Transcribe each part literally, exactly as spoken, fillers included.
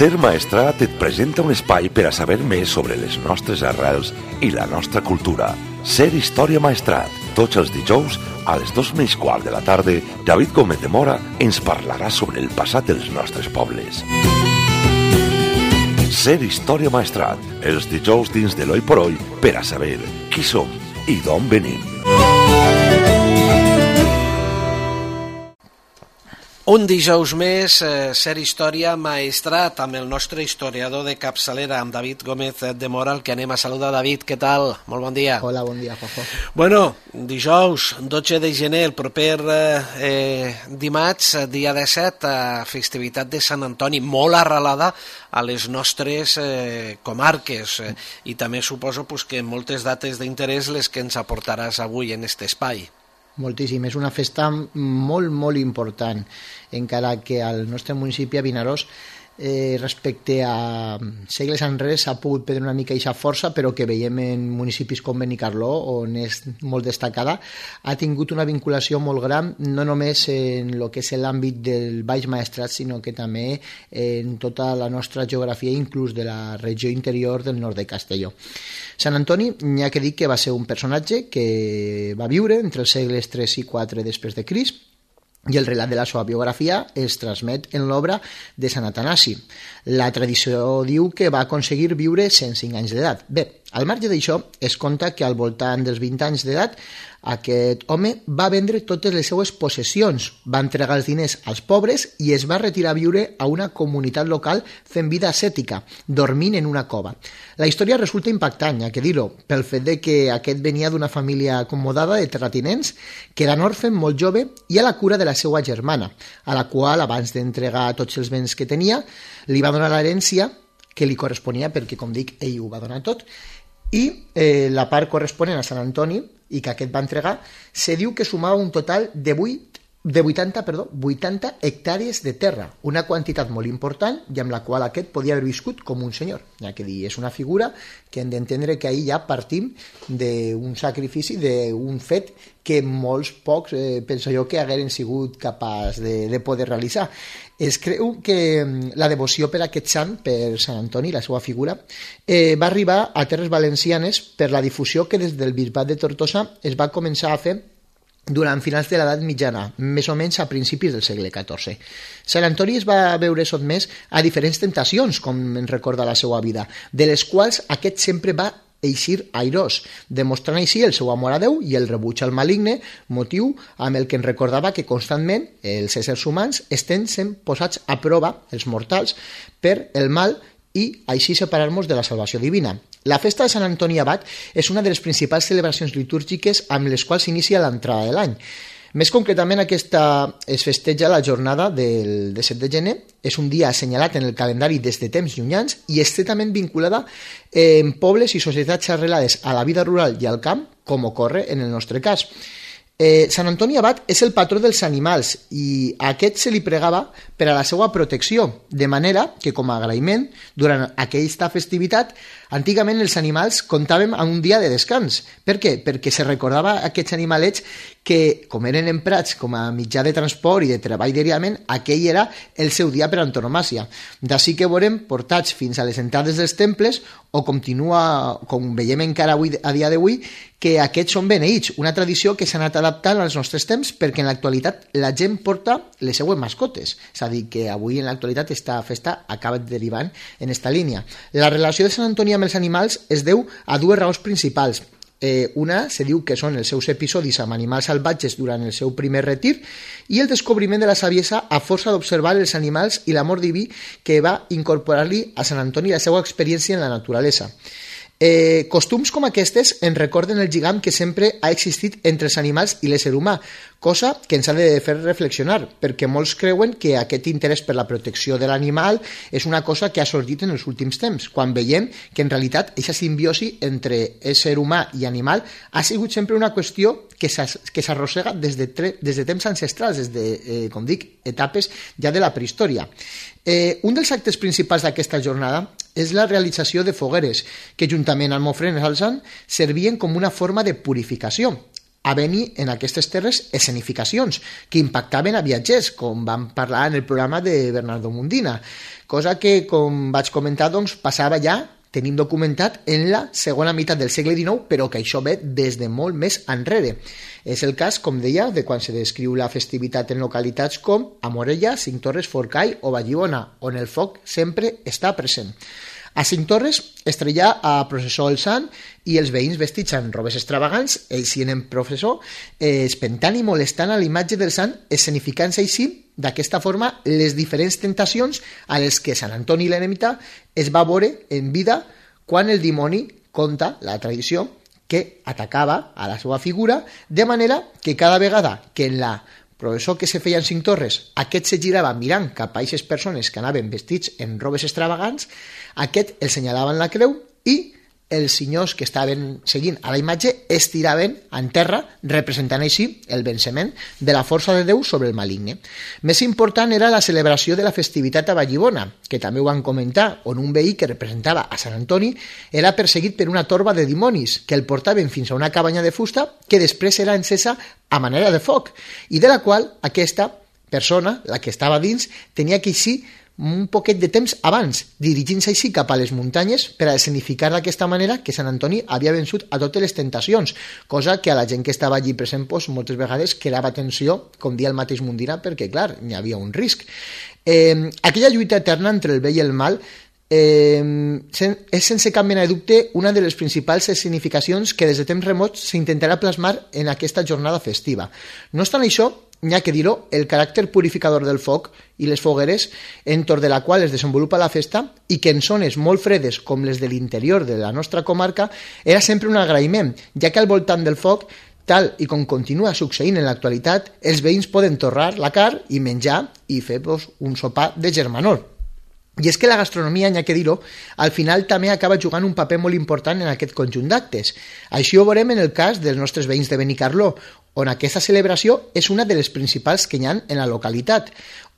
Ser Maestrat et presenta un espai per a saber més sobre les nostres arrels i la nostra cultura. Ser Història Maestrat. Tots els dijous, a les dos menys quart de la tarda, David Gómez de Mora ens parlarà sobre el passat dels nostres pobles. Ser Història Maestrat. Els dijous dins de l'Oi por Oi per a saber qui som i d'on venim. Un dijous més, eh, Ser Història Maestrat, amb el nostre historiador de capçalera, amb David Gómez de Mora, el que anem a saludar. David, què tal? Molt bon dia. Hola, bon dia, Juanjo. Bueno, dijous, dotze de gener, el proper eh, dimarts, dia disset, eh, festivitat de Sant Antoni, molt arrelada a les nostres eh, comarques, eh, i també suposo pues, que moltes dates d'interès les que ens aportaràs avui en aquest espai. Moltíssim, és una festa molt, molt important, encara que al nostre municipi, a Vinaròs, eh, respecte a segles enrere s'ha pogut perdre una mica aquesta força, però que veiem en municipis com Benicarló, on és molt destacada, ha tingut una vinculació molt gran, no només en el que és l'àmbit del Baix Maestrat, sinó que també en tota la nostra geografia, inclús de la regió interior del nord de Castelló. Sant Antoni, n'hi ha que dir que va ser un personatge que va viure entre els segles tres i quatre després de Crist, i el relat de la seva biografia es transmet en l'obra de Sant Atanasi. La tradició diu que va aconseguir viure cent cinc anys d'edat. Bé, al marge d'això, es conta que al voltant dels vint anys d'edat aquest home va vendre totes les seues possessions, va entregar els diners als pobres i es va retirar a viure a una comunitat local fent vida ascètica, dormint en una cova. La història resulta impactant, ja que dir-ho, pel fet de que aquest venia d'una família acomodada de terratinents, quedant orfe molt jove i a la cura de la seva germana, a la qual, abans d'entregar tots els béns que tenia, li va donar l'herència que li corresponia, perquè, com dic, ell ho va donar tot, i eh, la part corresponent a Sant Antoni, i que aquest va entregar, se diu que sumava un total de vuit de vuitanta, perdó, vuitanta hectàrees de terra, una quantitat molt important i amb la qual aquest podia haver viscut com un senyor. Ja que dir, és una figura que hem d'entendre que ahir ja partim d'un sacrifici, d'un fet que molts pocs, eh, penso jo, que hagueren sigut capaç de, de poder realitzar. Es creu que la devoció per aquest sant, per Sant Antoni, la seva figura, eh, va arribar a Terres Valencianes per la difusió que des del bisbat de Tortosa es va començar a fer durant finals de l'edat mitjana, més o menys a principis del segle catorze. Sant Antoni es va veure sotmès a diferents tentacions, com ens recorda la seva vida, de les quals aquest sempre va eixir airós, demostrant així el seu amor a Déu i el rebuig al maligne, motiu amb el que ens recordava que constantment els éssers humans estem sent posats a prova, els mortals, per el mal i així separar-nos de la salvació divina. La festa de Sant Antoni Abat és una de les principals celebracions litúrgiques amb les quals s'inicia l'entrada de l'any. Més concretament, aquesta es festeja la jornada del disset de gener, és un dia assenyalat en el calendari des de temps llunyans i estretament vinculada en pobles i societats arrelades a la vida rural i al camp, com ocorre en el nostre cas. Eh, Sant Antoni Abat és el patró dels animals i a aquest se li pregava per a la seva protecció, de manera que com a agraïment, durant aquesta festivitat, antigament els animals comptàvem amb un dia de descans. Per què? Perquè se recordava a aquests animalets que, com eren emprats com a mitjà de transport i de treball diàriament, aquell era el seu dia per antonomàsia. D'ací que veurem portats fins a les entrades dels temples, o continua, com veiem encara avui, a dia d'avui, que aquests són beneïts, una tradició que s'ha anat adaptant als nostres temps perquè en l'actualitat la gent porta les seues mascotes. És a dir, que avui en l'actualitat aquesta festa acaba derivant en aquesta línia. La relació de Sant Antoni amb els animals es deu a dues raons principals. Eh, una se diu que són els seus episodis amb animals salvatges durant el seu primer retir i el descobriment de la saviesa a força d'observar els animals i l'amor diví que va incorporar-li a Sant Antoni la seva experiència en la naturalesa. Eh, costums com aquestes ens recorden el lligam que sempre ha existit entre els animals i l'ésser humà, cosa que ens ha de fer reflexionar, perquè molts creuen que aquest interès per la protecció de l'animal és una cosa que ha sorgit en els últims temps, quan veiem que en realitat aquesta simbiosi entre ésser humà i animal ha sigut sempre una qüestió que s'arrossega des de, des de temps ancestrals, des de, eh, com dic, etapes ja de la prehistòria. Eh, un dels actes principals d'aquesta jornada és la realització de fogueres, que juntament amb ofrenes al sant servien com una forma de purificació. havent-hi en aquestes terres escenificacions que impactaven a viatgers, com vam parlar en el programa de Bernardo Mundina. cosa que, com vaig comentar, doncs, passava ja, tenim documentat, en la segona meitat del segle dinou, però que això ve des de molt més enrere. És el cas, com deia, de quan se descriu la festivitat en localitats com a Morella, Cinctorres, Forcall o Vallibona, on el foc sempre està present. A Cinctorres es treia a processó el sant i els veïns vestits amb robes extravagants, ells hi en processó, eh, espentant i molestant a la imatge del sant, escenificant-se així, d'aquesta forma, les diferents tentacions a les que Sant Antoni l'eremita es va veure en vida quan el dimoni conta la tradició que atacava a la seva figura, de manera que cada vegada que en la processó que se feia en Cinctorres aquest se girava mirant cap a aquestes persones que anaven vestits en robes extravagants, aquest els senyalaven la creu i els senyors que estaven seguint a la imatge es tiraven en terra, representant així el venciment de la força de Déu sobre el maligne. Més important era la celebració de la festivitat a Vallibona, que també ho van comentar, on un veí que representava a Sant Antoni era perseguit per una torba de dimonis que el portaven fins a una cabanya de fusta que després era encesa a manera de foc i de la qual aquesta persona, la que estava dins, tenia que eixir un poquet de temps abans, dirigint-se així cap a les muntanyes per a escenificar d'aquesta manera que Sant Antoni havia vençut a totes les tentacions, cosa que a la gent que estava allí present pues, moltes vegades creava tensió, com dia el mateix Mundina, perquè clar, n'hi havia un risc. Eh, aquella lluita eterna entre el bé i el mal eh, és sense cap mena de dubte una de les principals significacions que des de temps remots s'intentarà plasmar en aquesta jornada festiva. No obstant això, n'hi ha que dir-ho, el caràcter purificador del foc i les fogueres entorn de la qual es desenvolupa la festa i que en zones molt fredes com les de l'interior de la nostra comarca era sempre un agraïment, ja que al voltant del foc, tal i com continua succeint en l'actualitat, els veïns poden torrar la carn i menjar i fer pues, un sopar de germanor. I és que la gastronomia, n'hi ha que dir-ho, al final també acaba jugant un paper molt important en aquest conjunt d'actes. Així ho veurem en el cas dels nostres veïns de Benicarló, on aquesta celebració és una de les principals que hi ha en la localitat,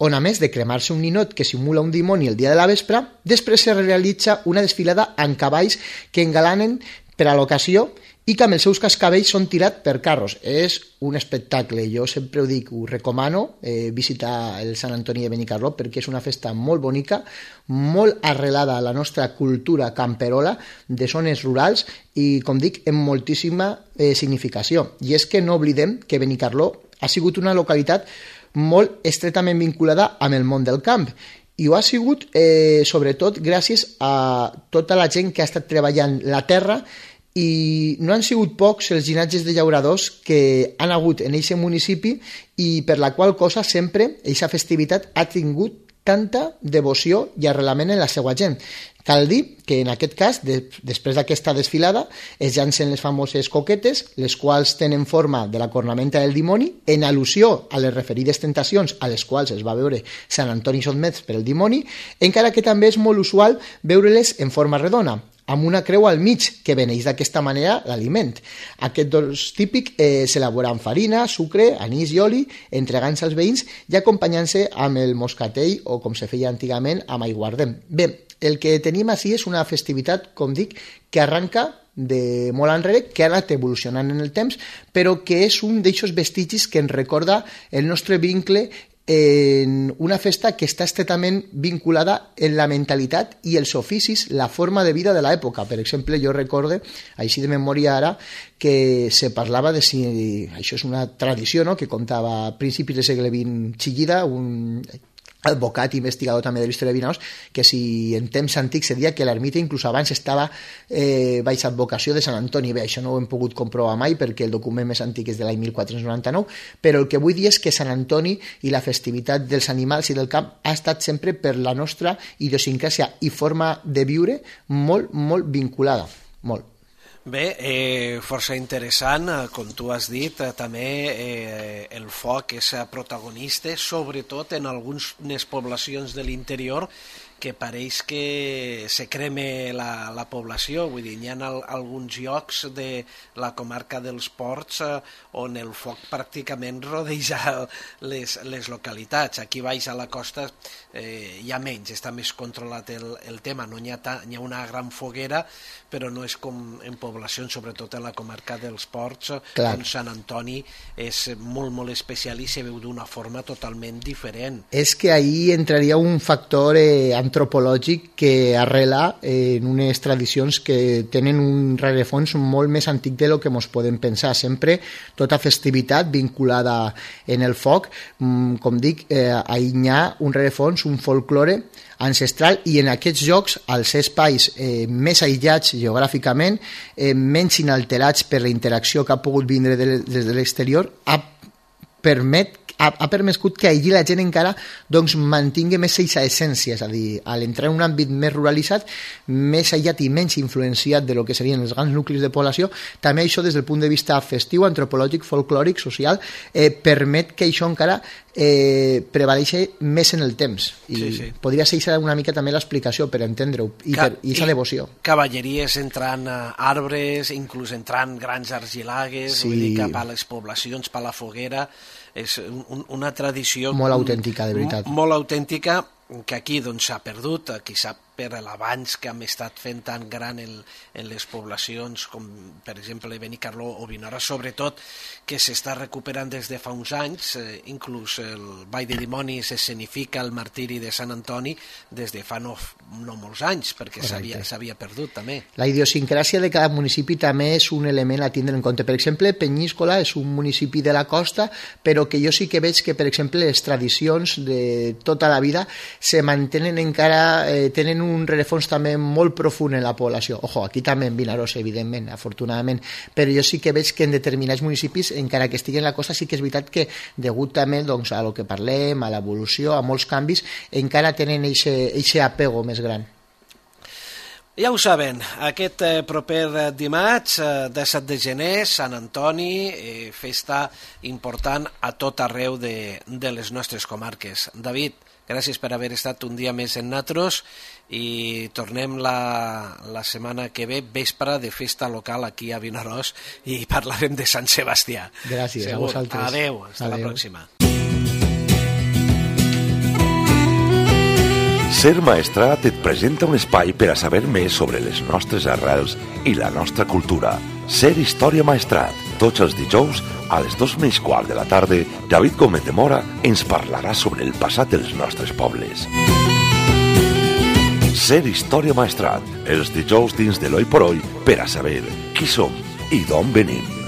on a més de cremar-se un ninot que simula un dimoni el dia de la vespre, després se realitza una desfilada amb cavalls que engalanen per a l'ocasió i que amb els seus cascavells són tirats per carros. És un espectacle, jo sempre ho dic, ho recomano, eh, visitar el Sant Antoni de Benicarló perquè és una festa molt bonica, molt arrelada a la nostra cultura camperola de zones rurals i, com dic, amb moltíssima eh, significació. I és que no oblidem que Benicarló ha sigut una localitat molt estretament vinculada amb el món del camp i ho ha sigut eh, sobretot gràcies a tota la gent que ha estat treballant la terra i no han sigut pocs els llinatges de llauradors que han hagut en aquest municipi i per la qual cosa sempre aquesta festivitat ha tingut tanta devoció i arrelament en la seva gent. Cal dir que en aquest cas, de, després d'aquesta desfilada, es llancen les famoses coquetes, les quals tenen forma de la cornamenta del dimoni, en al·lusió a les referides tentacions a les quals es va veure Sant Antoni sotmès per el dimoni, encara que també és molt usual veure-les en forma redona, amb una creu al mig, que beneix d'aquesta manera l'aliment. Aquest dolç típic eh, s'elabora amb farina, sucre, anís i oli, entregant-se als veïns i acompanyant-se amb el moscatell o, com se feia antigament, amb aiguardent. Bé, el que tenim així és una festivitat, com dic, que arranca de molt enrere, que ha anat evolucionant en el temps, però que és un d'eixos vestigis que ens recorda el nostre vincle en una festa que està estretament vinculada en la mentalitat i els oficis, la forma de vida de l'època. Per exemple, jo recorde, així de memòria ara, que se parlava de si això és una tradició, no?, que contava a principis del segle vint Chillida, un advocat i investigador també de la història de Vinaós, que si en temps antics se deia que l'ermita inclús abans estava eh, baix advocació de Sant Antoni. Bé, això no ho hem pogut comprovar mai perquè el document més antic és de l'any mil quatre-cents noranta-nou, però el que vull dir és que Sant Antoni i la festivitat dels animals i del camp ha estat sempre per la nostra idiosincràsia i forma de viure molt, molt vinculada, molt. Bé, eh, força interessant, com tu has dit, eh, també eh, el foc és protagonista, sobretot en algunes poblacions de l'interior que pareix que se creme la, la població, vull dir, hi ha al, alguns llocs de la comarca dels Ports eh, on el foc pràcticament rodeja les, les localitats. Aquí baix a la costa eh, hi ha menys, està més controlat el, el tema, no hi ha, ta, hi ha una gran foguera, però no és com en poblacions, sobretot en la comarca dels Ports, Clar. on Sant Antoni és molt, molt especial i se veu d'una forma totalment diferent. És que ahí entraria un factor eh, antropològic antropològic que arrela en unes tradicions que tenen un rerefons molt més antic de lo que ens podem pensar. Sempre tota festivitat vinculada en el foc, com dic, eh, hi ha un rerefons, un folklore ancestral, i en aquests llocs, als espais eh, més aïllats geogràficament, eh, menys inalterats per la interacció que ha pogut vindre de, des de l'exterior, ha permet ha, ha permescut que allí la gent encara doncs, mantingui més aquesta essència, és a dir, a l'entrar en un àmbit més ruralitzat, més aïllat i menys influenciat de lo que serien els grans nuclis de població, també això des del punt de vista festiu, antropològic, folclòric, social, eh, permet que això encara eh, prevaleixi més en el temps. I sí, sí. podria ser una mica també l'explicació per entendre-ho, i aquesta devoció. Cavalleries entrant a arbres, inclús entrant grans argilagues, sí. vull dir, cap a les poblacions, per la foguera. És un, una tradició molt autèntica, de veritat. Molt autèntica, que aquí doncs, s'ha perdut, qui sap per l'avanç que hem estat fent tan gran en, en les poblacions com per exemple Benicarló o Vinaròs, sobretot que s'està recuperant des de fa uns anys, eh, inclús el Ball de Dimonis escenifica el martiri de Sant Antoni des de fa no, no molts anys, perquè s'havia perdut també. La idiosincràsia de cada municipi també és un element a tindre en compte. Per exemple, Penyíscola és un municipi de la costa, però que jo sí que veig que, per exemple, les tradicions de tota la vida se mantenen encara, eh, tenen un rerefons també molt profund en la població. Ojo, aquí també en Vinaròs, evidentment, afortunadament, però jo sí que veig que en determinats municipis, encara que estigui en la costa, sí que és veritat que, degut també doncs, a lo que parlem, a l'evolució, a molts canvis, encara tenen aquest apego més gran. Ja ho saben, aquest eh, proper dimarts, eh, disset de gener, Sant Antoni, eh, festa important a tot arreu de, de les nostres comarques. David, gràcies per haver estat un dia més en Natros i tornem la, la setmana que ve, vespre de festa local aquí a Vinaròs, i parlarem de Sant Sebastià. Gràcies, segur. A vosaltres. Adéu, fins la pròxima. Ser Maestrat et presenta un espai per a saber més sobre les nostres arrels i la nostra cultura. Ser Història Maestrat. Tots els dijous, a les dos menys quart de la tarda, David Gómez de Mora ens parlarà sobre el passat dels nostres pobles. Ser Història Maestrat. Els dijous dins de l'Oi por Hoy per a saber qui som i d'on venim.